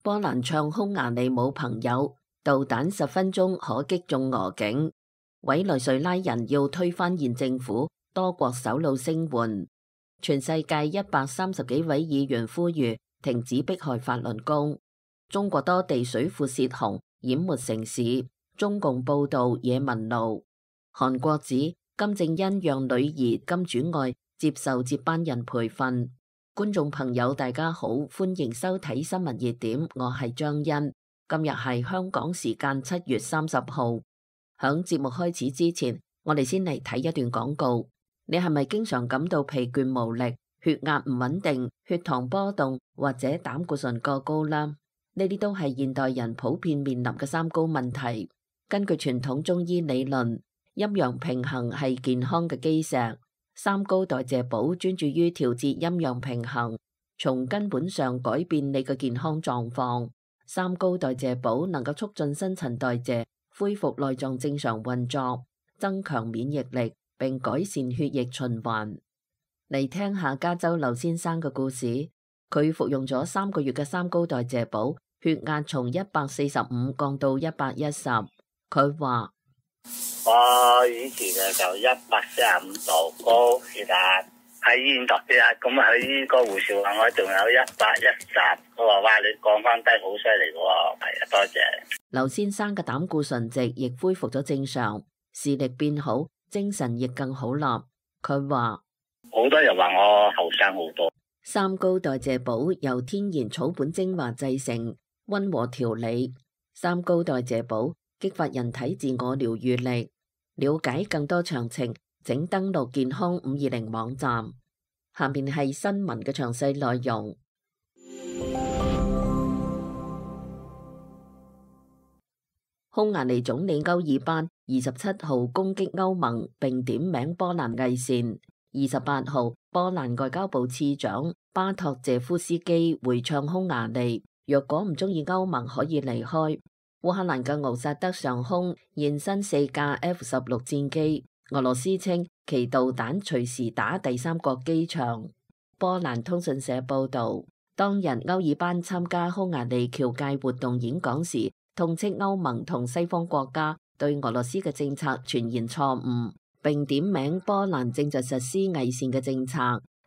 波蘭唱匈牙利冇朋友，導彈10分鐘可擊中俄境。委內瑞拉人要推翻現政府，多國首腦聲援。全世界130幾位議員呼籲停止迫害法輪功。中國多地水庫泄洪，淹沒城市。中共報道野民怒。韓國指金正恩讓女兒金主愛接受接班人培訓。觀眾朋友大家好，歡迎收睇新聞熱點，我係張欣。今日係香港時間7月30號。響節目開始之前，我哋先嚟睇一段廣告。你係咪經常感到疲倦無力、血壓唔穩定、血糖波動或者膽固醇過高啦？呢啲都係現代人普遍面臨嘅三高問題。根據傳統中醫理論，陰陽平衡係健康嘅基石。三高代謝寶專注於調節陰陽平衡，從根本上改變你嘅健康狀況。三高代謝寶能夠促進新陳代謝，恢復內臟正常運作，增強免疫力，並改善血液循環。嚟聽下加州劉先生嘅故事。佢服用咗3個月嘅三高代謝寶，血壓從145降到110。佢話：我以前就145度高血壓，喺醫院度血壓，咁啊喺個護士話我仲有110，佢話哇，你降翻低好犀利喎，係啊，多謝。劉先生嘅膽固醇值亦恢復咗正常，視力變好，精神亦更好啦。佢話好多人話我後生好多。三高代謝寶由天然草本精華製成，溫和調理。三高代謝寶激發人體自我療癒力。了解更多詳情，請登錄健康520網站。下面係新聞嘅詳細內容。匈牙利總理歐爾班27號攻擊歐盟，並點名波蘭偽善。28號，波蘭外交部次長巴托謝夫斯基回唱匈牙利，若果唔中意歐盟，可以離開。烏克蘭嘅敖薩德上空現身4架 F-16戰機，俄羅斯稱其導彈隨時打第三國機場。波蘭通訊社報道，當日歐爾班參加匈牙利僑界活動演講時，痛斥歐盟同西方國家對俄羅斯嘅政策全然錯誤，並點名波蘭正在實施偽善嘅政策，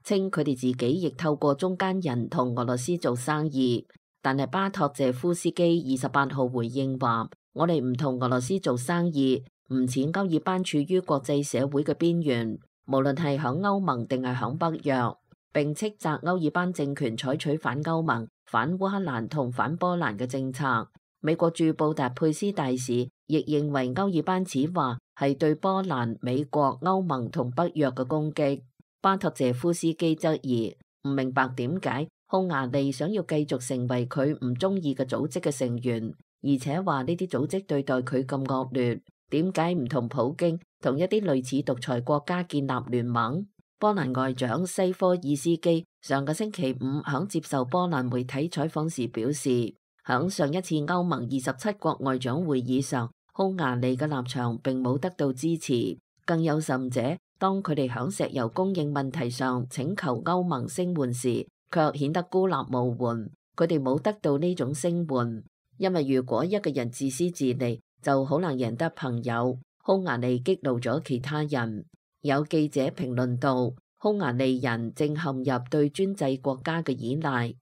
稱佢哋自己亦透過中間人同俄羅斯做生意。但係巴托謝夫斯基28號回應話：我哋唔同俄羅斯做生意，唔似歐爾班處於國際社會嘅邊緣，無論係響歐盟定係響北約。並斥責歐爾班政權採取反歐盟、反烏克蘭同反波蘭嘅政策。美國駐布達佩斯大使亦認為歐爾班此話係對波蘭、美國、歐盟同北約嘅攻擊。巴托謝夫斯基質疑，唔明白點解匈牙利想要繼續成為佢唔中意嘅組織嘅成員，而且話呢啲組織對待佢咁惡劣，點解唔同普京同一啲類似獨裁國家建立聯盟？波蘭外長西科爾斯基上個星期五響接受波蘭媒體採訪時表示，響上一次歐盟27國外長會議上，匈牙利嘅立場並冇得到支持，更有甚者，當佢哋響石油供應問題上請求歐盟聲援時，卻顯得孤立無援。佢哋冇得到呢種聲援，因為如果一個人自私自利，就好難贏得朋友。匈牙利激怒咗其他人。有記者評論道，匈牙利人正陷入對專制國家嘅依賴。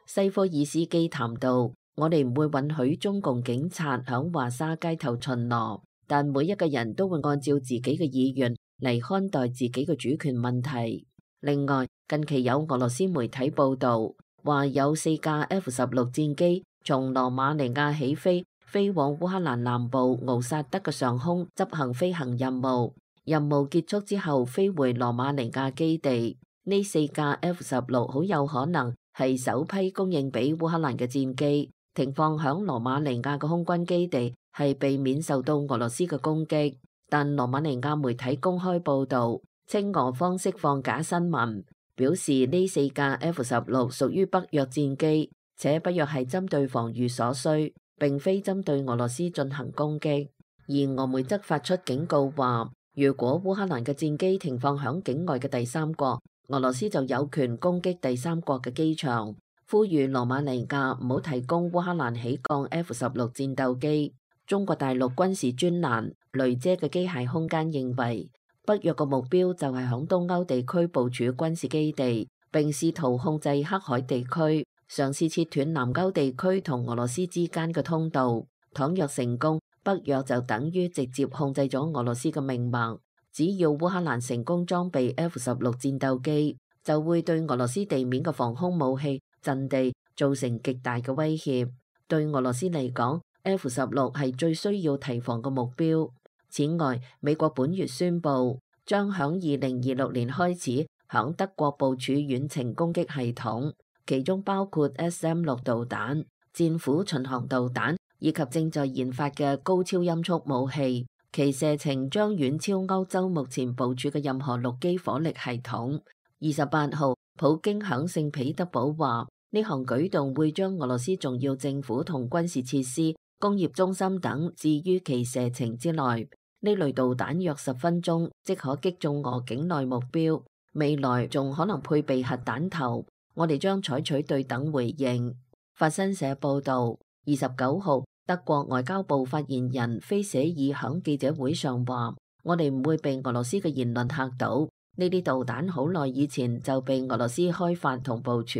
西科爾斯基談到，我哋唔會允許中共警察響華沙街頭巡邏，但每一個人都會按照自己嘅意願嚟看待自己嘅主權問題。另外，近期有俄羅斯媒體報道，話有4架 F-16戰機從羅馬尼亞起飛往烏克蘭南部敖薩德嘅上空執行飛行任務。任務結束之後飛回羅馬尼亞基地。呢4架 F-16好有可能係首批供應俾烏克蘭嘅戰機，停放響羅馬尼亞嘅空軍基地，係避免受到俄羅斯嘅攻擊。但羅馬尼亞媒體公開報道，稱俄方釋放假新聞，表示呢4架 F-16屬於北約戰機，且北約係針對防禦所需，並非針對俄羅斯進行攻擊。而俄媒則發出警告話，如果烏克蘭嘅戰機停放響境外嘅第三國，俄羅斯就有權攻擊第三國嘅機場。呼籲羅馬尼亞唔好提供烏克蘭起降 F-16戰鬥機。中國大陸軍事專欄雷遮嘅機械空間認為，北約嘅目標就係響東歐地區部署軍事基地，並試圖控制黑海地區，嘗試切斷南歐地區同俄羅斯之間嘅通道。倘若成功，北約就等於直接控制咗俄羅斯嘅命脈。只要烏克蘭成功裝備 F-16戰鬥機，就會對俄羅斯地面嘅防空武器陣地造成極大嘅威脅。對俄羅斯嚟講，F-16係最需要提防嘅目標。此外，美國本月宣布將響2026年開始響德國部署遠程攻擊系統，其中包括 SM-6導彈、戰斧巡航導彈以及正在研發嘅高超音速武器，其射程將遠超歐洲目前部署嘅任何陸基火力系統。28號，普京響聖彼得堡話，呢項舉動會將俄羅斯重要政府同軍事設施、工業中心等置於其射程之內。呢類導彈約10分鐘即可擊中俄境內目標，未來仲可能配備核彈頭。我哋將採取對等回應。法新社報導，29號，德國外交部發言人菲舍爾響記者會上話：我哋唔會被俄羅斯嘅言論嚇到，呢啲導彈好耐以前就被俄羅斯開發同部署，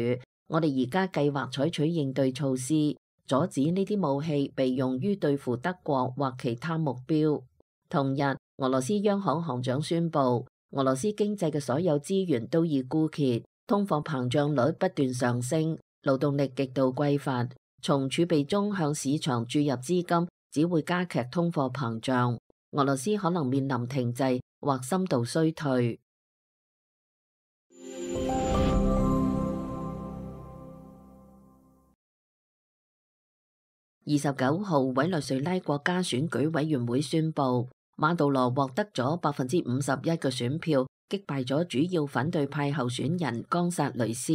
我哋而家計劃採取應對措施，阻止呢啲武器被用於對付德國或其他目標。同日，俄羅斯央行行長宣布，俄羅斯經濟嘅所有資源都已枯竭，通貨膨脹率不斷上升，勞動力極度匱乏，從儲備中向市場注入資金只會加劇通貨膨脹，俄羅斯可能面臨停滯或深度衰退。29號，委內瑞拉國家選舉委員會宣布，馬杜羅獲得咗51%嘅選票，擊敗咗主要反對派候選人岡薩雷斯，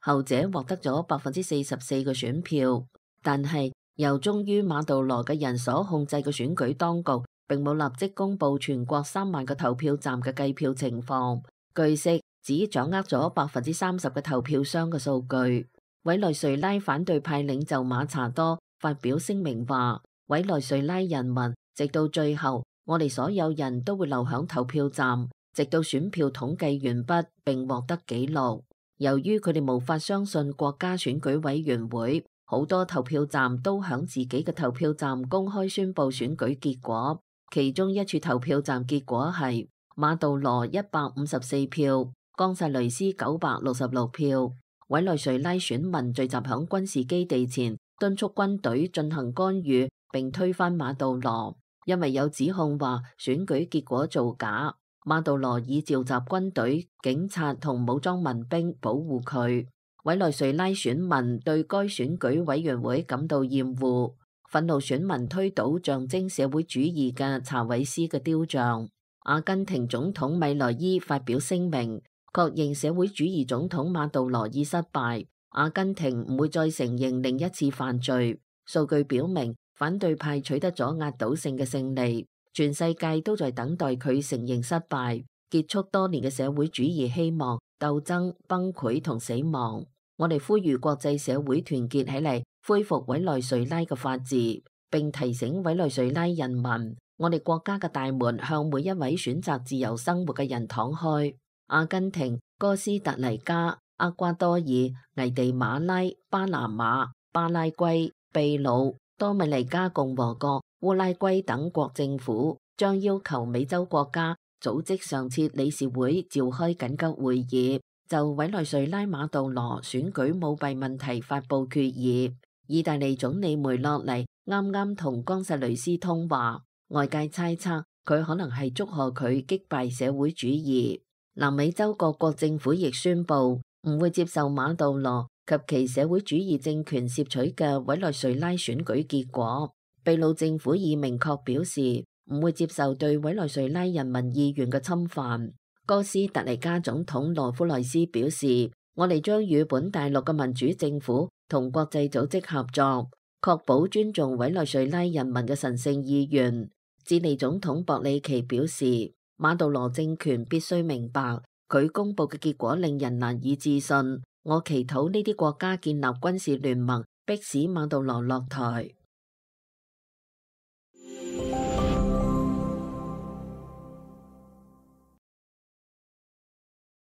後者獲得咗44%嘅選票。但係由忠於馬杜羅嘅人所控制嘅選舉當局，並冇立即公布全國3萬個投票站嘅計票情況。據悉，只掌握咗30%嘅投票箱嘅數據。委內瑞拉反對派領袖馬查多發表聲明話：委內瑞拉人民，直到最後，我哋所有人都會留響投票站，直到選票統計完畢並獲得記錄。由於佢哋無法相信國家選舉委員會，好多投票站都響自己嘅投票站公開宣布選舉結果。其中一處投票站結果係馬杜羅154票，岡薩雷斯966票。委內瑞拉選民聚集響軍事基地前，敦促軍隊進行干預並推翻馬杜羅，因為有指控話選舉結果造假。馬杜羅已召集軍隊、警察同武裝民兵保護佢。委內瑞拉選民對該選舉委員會感到厭惡，憤怒選民推倒象徵社會主義嘅查韋斯嘅雕像。阿根廷總統米萊伊發表聲明，確認社會主義總統馬杜羅已失敗，阿根廷唔會再承認另一次犯罪。數據表明，反對派取得咗壓倒性嘅勝利，全世界都在等待佢承認失敗，結束多年嘅社會主義希望、鬥爭、崩潰同死亡。我哋呼籲國際社會團結起嚟，恢復委內瑞拉嘅法治，並提醒委內瑞拉人民，我哋國家嘅大門向每一位選擇自由生活嘅人敞開。阿根廷、哥斯達黎加、厄瓜多爾、危地馬拉、巴拿馬、巴拉圭、秘魯、多米尼加共和國、烏拉圭等國政府將要求美洲國家組織常設理事會召開緊急會議，就委內瑞拉馬杜羅選舉舞弊問題發布決議。意大利總理梅洛尼啱啱同岡薩雷斯通話，外界猜測佢可能係祝賀佢擊敗社會主義。南美洲各國政府亦宣布唔會接受馬杜羅及其社會主義政權攝取嘅委內瑞拉選舉結果。秘魯政府已明確表示唔會接受對委內瑞拉人民意願嘅侵犯。哥斯達黎加總統羅夫萊斯表示，我哋將與本大陸嘅民主政府同國際組織合作，確保尊重委內瑞拉人民嘅神聖意願。智利總統博里奇表示，馬杜羅政權必須明白，佢公布嘅結果令人難以置信，我祈禱呢啲國家建立軍事聯盟，迫使馬杜羅落台。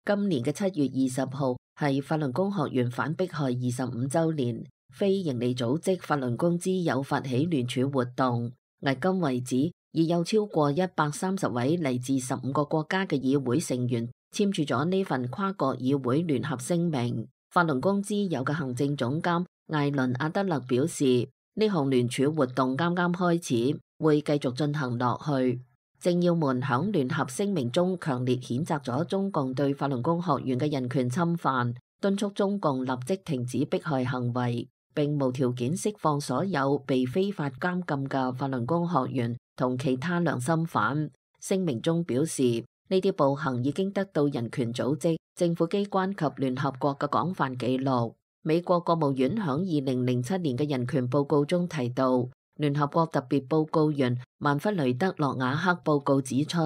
今年嘅7月20號係法輪功學員反迫害25週年，非營利組織法輪功之友發起聯署活動，迄今為止已有超過130位嚟自15個國家嘅議會成員簽署咗呢份跨國議會聯合聲明。法輪功之友嘅行政總監艾倫阿德勒表示，呢項聯署活動啱啱開始，會繼續進行落去。政要們響聯合聲明中強烈譴責咗中共對法輪功學員嘅人權侵犯，敦促中共立即停止迫害行為，並無條件釋放所有被非法監禁嘅法輪功學員同其他良心犯。聲明中表示，呢啲暴行已經得到人權組織、政府機關及聯合國嘅廣泛記錄。美國國務院響2007年嘅人權報告中提到，聯合國特別報告員曼弗雷德洛瓦克報告指出，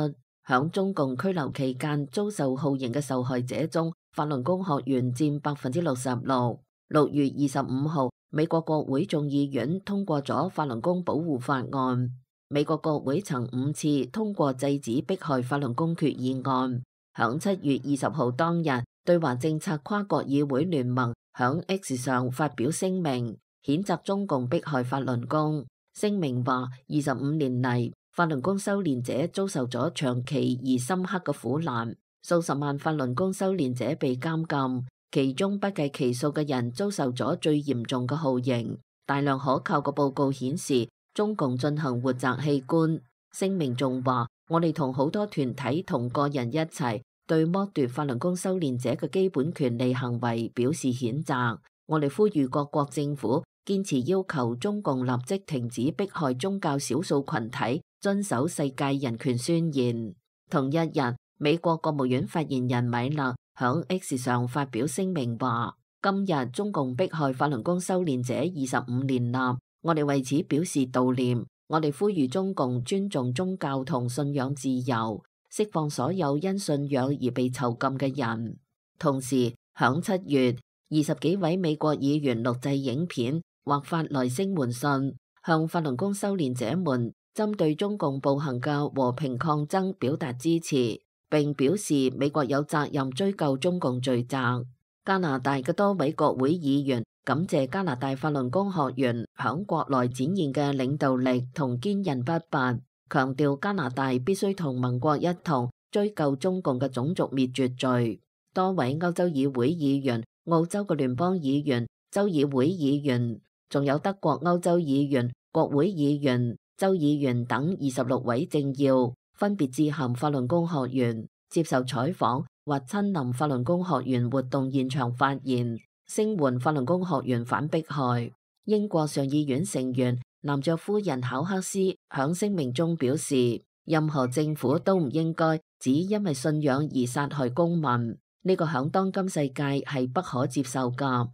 響中共拘留期間遭受酷刑嘅受害者中，法輪功學員佔66%。6月25號，美國國會眾議院通過咗法輪功保護法案。美國國會曾5次通過制止迫害法輪功決議案。響7月20號當日，對華政策跨國議會聯盟響 X 上發表聲明，譴責中共迫害法輪功。聲明話，25年嚟，法輪功修煉者遭受咗長期而深刻嘅苦難，數十萬法輪功修煉者被監禁，其中不計其數嘅人遭受咗最嚴重嘅酷刑。大量可靠嘅報告顯示，中共進行活摘器官。聲明仲話，我哋同好多團體同個人一齊對剝奪法輪功修煉者嘅基本權利行為表示譴責。我哋呼籲各國政府堅持要求中共立即停止迫害宗教少數群體，遵守世界人權宣言。同一日，美國國務院發言人米勒響 X 上發表聲明話，今日中共迫害法輪功修煉者25年啦，我哋為此表示悼念。我哋呼籲中共尊重宗教同信仰自由，釋放所有因信仰而被囚禁嘅人。同時，響7月，20幾位美國議員錄製影片或發來聲援信，向法輪功修煉者們針對中共暴行嘅和平抗爭表達支持，並表示美國有責任追究中共罪責。加拿大嘅多位國會議員感謝加拿大法輪功學員響國內展現嘅領導力同堅韌不拔，強調加拿大必須同盟國一同追究中共嘅種族滅絕罪。多位歐洲議會議員、澳洲嘅聯邦議員、州議會議員，仲有德國歐洲議員、國會議員、州議員等26位政要，分別致函法輪功學員，接受採訪或親臨法輪功學員活動現場發言，聲援法輪功學員反迫害。英國上議院成員男爵夫人考克斯響聲明中表示，任何政府都唔應該只因為信仰而殺害公民，呢個響當今世界係不可接受㗎。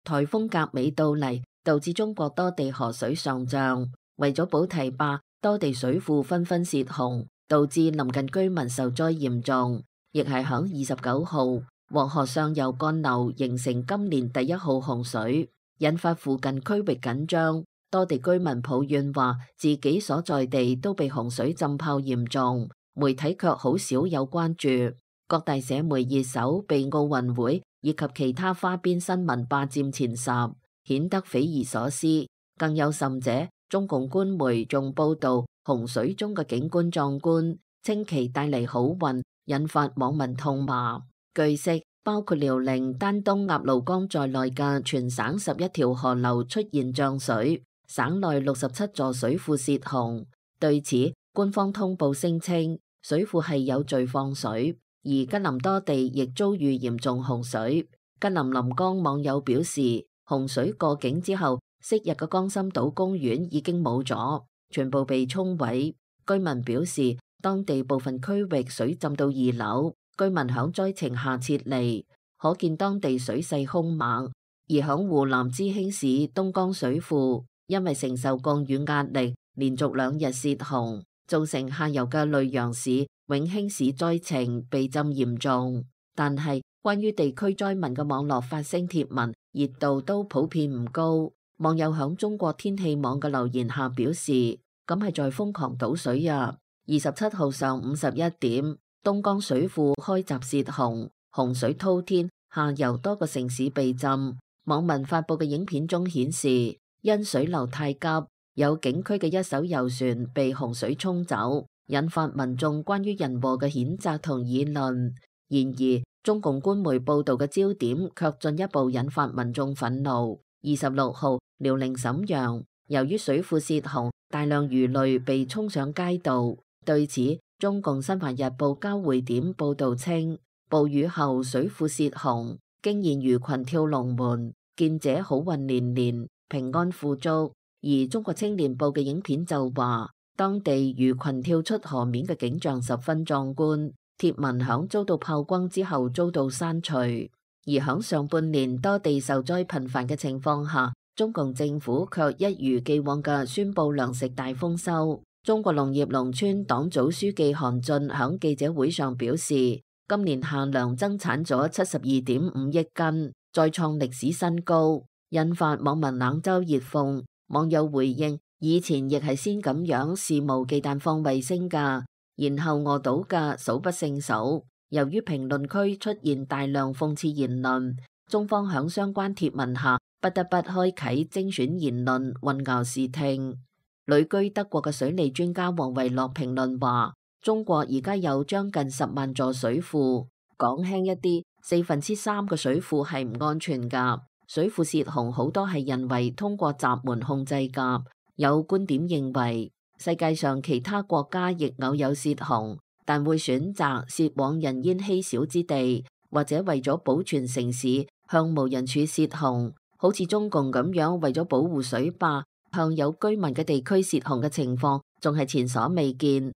颱風甲美到嚟，導致中國多地河水上漲，為咗補堤壩，多地水庫紛紛泄洪，導致鄰近居民受災嚴重。亦係響29號，黃河上游幹流形成今年第1號洪水，引發附近區域緊張。多地居民抱怨話，自己所在地都被洪水浸泡嚴重，媒體卻好少有關注。各大社媒熱搜被奧運會以及其他花邊新聞霸佔前10，顯得匪夷所思。更有甚者，中共官媒仲報道洪水中嘅景觀壯觀，稱其帶嚟好運，引發網民痛罵。據悉，包括遼寧、丹東、鴨綠江在內嘅全省11條河流出現漲水，省內67座水庫泄洪。對此，官方通報聲稱水庫係有序放水，而吉林多地亦遭遇嚴重洪水。吉林臨江網友表示，洪水過境之後，昔日嘅江心島公園已經冇咗，全部被沖毀。居民表示，當地部分區域水浸到2樓，居民響災情下撤離，可見當地水勢兇猛。而響湖南知興市東江水庫，因為承受降雨壓力，連續2日泄洪，造成下游嘅溧陽市、永興市災情被浸嚴重。但係關於地區災民嘅網絡發聲貼文熱度都普遍唔高。網友響中國天氣網嘅留言下表示：咁係在瘋狂倒水啊！27號上午11點，東江水庫開閘泄洪，洪水滔天，下游多個城市被浸。網民發布嘅影片中顯示，因水流太急，有景區嘅一艘遊船被洪水沖走，引發民眾關於人禍嘅譴責同議論。然而，中共官媒報道嘅焦點卻進一步引發民眾憤怒。26號，遼寧瀋陽由於水庫泄洪，大量魚類被沖上街道。對此，中共新華日報交匯點報道稱，暴雨後水庫泄洪，驚現魚群跳龍門，見者好運連連，平安富足。而中國青年報嘅影片就話，當地魚群跳出河面嘅景象十分壯觀。貼文響遭到炮轟之後遭到刪除。而響上半年多地受災頻繁嘅情況下，中共政府卻一如既往嘅宣布糧食大豐收。中國農業農村黨組書記韓俊響記者會上表示，今年夏糧增產咗72.5億斤，再創歷史新高，引發網民冷嘲熱諷。網友回應：以前亦係先咁樣肆無忌憚放衛星㗎。然後餓到嘅數不勝數。由於評論區出現大量諷刺言論，中方響相關貼文下不得不開啟精選言論，混淆視聽。旅居德國嘅水利專家王維樂評論話：中國而家有將近10萬座水庫，講輕一啲，3/4嘅水庫係唔安全㗎。水庫泄洪好多係人為通過閘門控制㗎。有觀點認為，世界上其他國家亦偶有泄洪，但會選擇泄往人煙稀少之地，或者為咗保存城市向無人處泄洪，好似中共咁樣為咗保護水壩向有居民嘅地區泄洪嘅情況，仲係前所未見。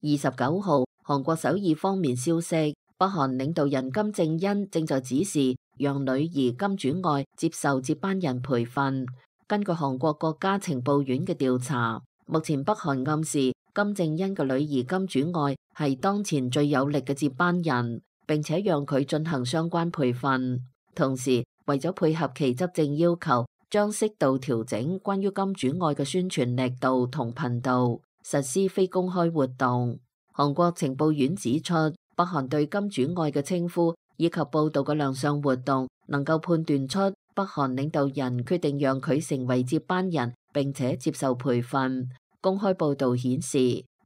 29號，韓國首爾方面消息，北韓領導人金正恩正在指示讓女兒金主愛接受接班人培訓。根據韓國國家情報院嘅調查，目前北韓暗示金正恩嘅女兒金主愛係當前最有力嘅接班人，並且讓佢進行相關培訓。同時，為咗配合其執政要求，將適度調整關於金主愛嘅宣傳力度同頻道，實施非公開活動。韓國情報院指出，北韓對金主愛嘅稱呼以及報道嘅亮相活動，能夠判斷出北韓領導人決定讓佢成為接班人，並且接受培訓。公開報道顯示，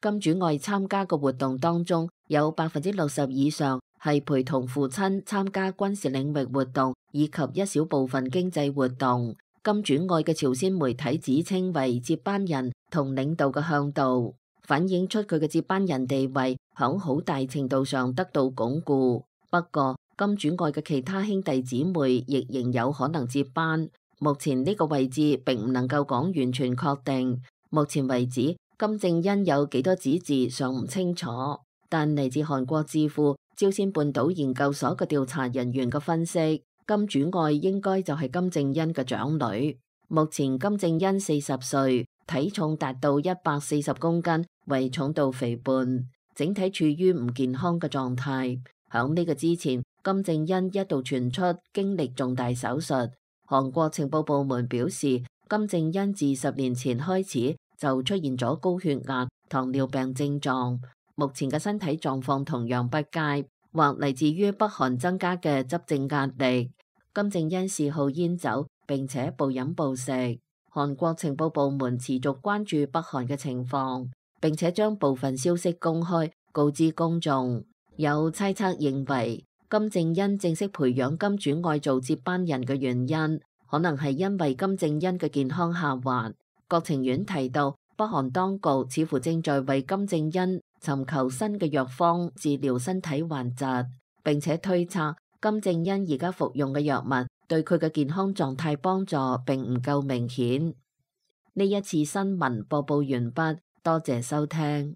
金主愛參加嘅活動當中，有60%以上係陪同父親參加軍事領域活動，以及一小部分經濟活動。金主愛嘅朝鮮媒體指稱為接班人同領導嘅向導，反映出佢嘅接班人地位響好大程度上得到鞏固。不過，金主愛嘅其他兄弟姊妹亦仍有可能接班。目前呢個位置並唔能夠講完全確定。目前為止，金正恩有幾多子嗣尚唔清楚。但嚟自韓國智庫朝鮮半島研究所嘅調查人員嘅分析，金主愛應該就係金正恩嘅長女。目前金正恩40歲，體重達到140公斤，為重度肥胖，整體處於唔健康嘅狀態。響呢個之前，金正恩一度傳出經歷重大手術。韓國情報部門表示，金正恩自10年前開始就出現咗高血壓、糖尿病症狀，目前嘅身體狀況同樣不佳，或嚟自於北韓增加嘅執政壓力。金正恩嗜好煙酒，並且暴飲暴食。韓國情報部門持續關注北韓嘅情況，並且將部分消息公開告知公眾。有猜測認為，金正恩正式培養金主愛做接班人嘅原因，可能係因為金正恩嘅健康下滑。國情院提到，北韓當局似乎正在為金正恩尋求新嘅藥方治療身體患疾，並且推測金正恩而家服用嘅藥物對佢嘅健康狀態幫助並唔夠明顯。呢一次新聞播報完畢，多謝收聽。